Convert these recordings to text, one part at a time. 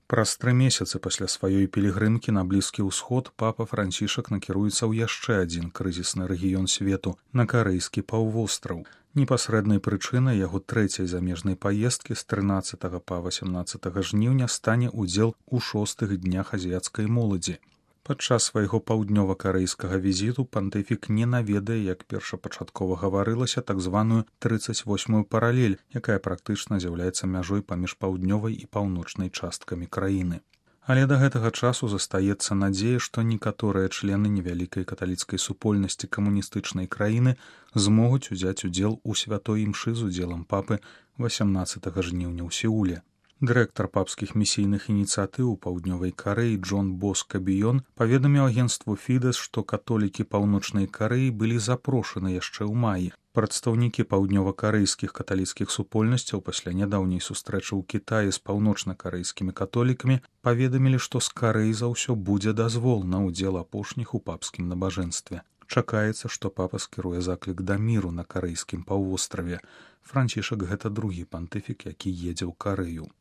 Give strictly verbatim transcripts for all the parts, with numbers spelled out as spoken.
Праз тры месяцы пасля сваёй пілігрымкі на Блізкі ўсход папа Францішак накіруецца ў яшчэ адзін крызісны рэгіён свету на карэйскі паўвостраў. Непасрэднай прычынай яго трэцяй замежнай паездкі з трынаццатага па васямнаццатага жніўня стане ўдзел у шостых днях азіяцкай моладзі. Падчас свайго паўднёва-карэйскага візіту пантыфік не наведае, як першапачаткова гаварылася, так званую трыццаць восьмую паралель, якая практычна з'яўляецца мяжой паміж паўднёвай і паўночнай часткамі краіны. Але да гэтага часу застаецца надзея, што некаторыя члены невялікай каталіцкай супольнасці камуністычнай краіны змогуць узяць удзел у святой імшы з удзелам папы васямнаццатага жніўня ў Сеуле. Дырэктар папскіх місійных ініцыятыў у паўднёвай Карэі Джон Боска Біён паведаміў агенцтву Фідэс, што католікі паўночнай Карэі былі запрошаны яшчэ ў маі. Прадстаўнікі паўднёва-карэйскіх каталіцкіх супольнасцяў пасля нядаўняй сустрэчы ў Кітаі з паўночна-карэйскімі католікамі паведамілі, што з Карэі за ўсё будзе дазвол на ўдзел апошніх у папскім набажэнстве. Чакаецца, што папа скіруе заклік да міру на карэйскім паўвостраве. Францішак гэта другі пантыфік, які едзе ў Карэю.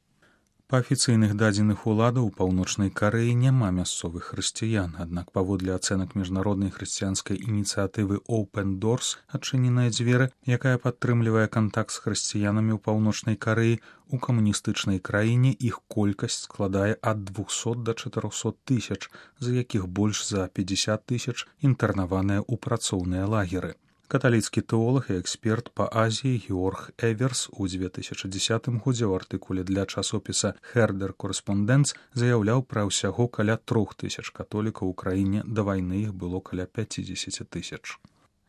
Па афіцыйных дадзеных уладаў у паўночнай Карэі няма мясцовых хрысціян, аднак паводле ацэнак міжнароднай хрысціянскай ініцыятывы Open Doors «Адчыненыя дзверы», якая падтрымлівае кантакт з хрысціянамі ў паўночнай Карэі, у камуністычнай краіне іх колькасць складае ад двухсот да чатырохсот тысяч, з якіх больш за пятьдесят тысяч інтэрнаваныя ў працоўныя лагеры. Каталіцкі тэолог і эксперт па Азіі Георг Эверс у две тысячы дзесятым годзе ў артыкуле для часопіса «Herder Correspondence» заяўляў пра ўсяго каля трох тысяч католікаў у краіне, да вайны іх было каля пяцьдзесят тысяч.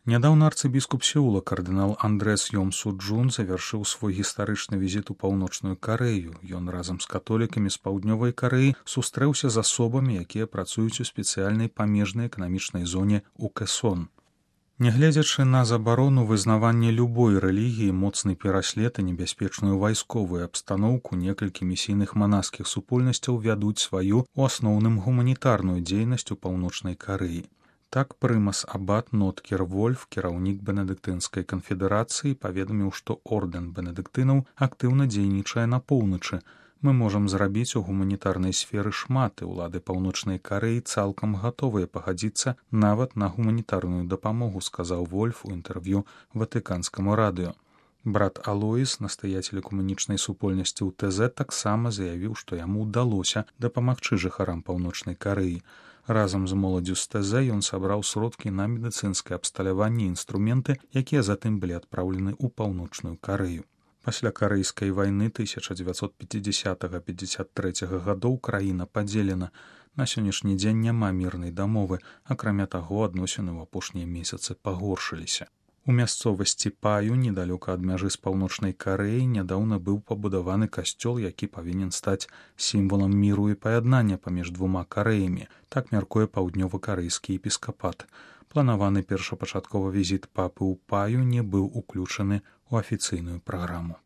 Нядаўна арцыбіскуп Сеула кардынал Андрэс Йом-Суджун завяршыў свой гістарычны візіт у паўночную Карэю. Ён разам з католікамі з паўднёвай Карэі сустрэўся з асобамі, якія працуюць у спецыяльнай памежнай эканамічнай зоне ў Кэсон. Нягледзячы на забарону вызнавання любой рэлігіі, моцны пераслед і небяспечную вайсковую абстаноўку, некалькі місійных манаскіх супольнасцяў вядуць сваю, у асноўным гуманітарную дзейнасць у паўночнай Карэі. Так прымас абат Ноткер Вольф, кіраўнік бенедыктынскай канфедэрацыі, паведаміў, што ордэн бенедыктынаў актыўна дзейнічае на поўначы. Мы можам зрабіць у гуманітарнай сферы шмат, і ўлады паўночнай Карэі цалкам гатовыя пагадзіцца нават на гуманітарную дапамогу, сказаў Вольф у інтэрв'ю ватыканскаму радыё. Брат Алоіс, настаяцель экуменічнай супольнасці ў ТЗ, таксама заявіў, што яму ўдалося дапамагчы жыхарам паўночнай Карэі. Разам з моладдзю з ТЗ ён сабраў сродкі на медыцынскае абсталяванне і інструменты, якія затым былі адпраўлены ў паўночную Карэю. Пасля карэйскай вайны тысяча дзевяцьсот пяцідзясятага - пяцьдзясят трэцяга гадоў краіна падзелена. На сённяшні дзень няма мірнай дамовы, акрамя таго, адносіны ў апошнія месяцы пагоршыліся. У мясцовасці Паю, недалёка ад мяжы з паўночнай Карэяй, нядаўна быў пабудаваны касцёл, які павінен стаць сімвалам міру і паяднання паміж двума Карэямі, так мяркуе паўднёва-карэйскі епіскапат. Планаваны першапачатковы візіт папы ў Паю не быў уключаны ў афіцыйную праграму.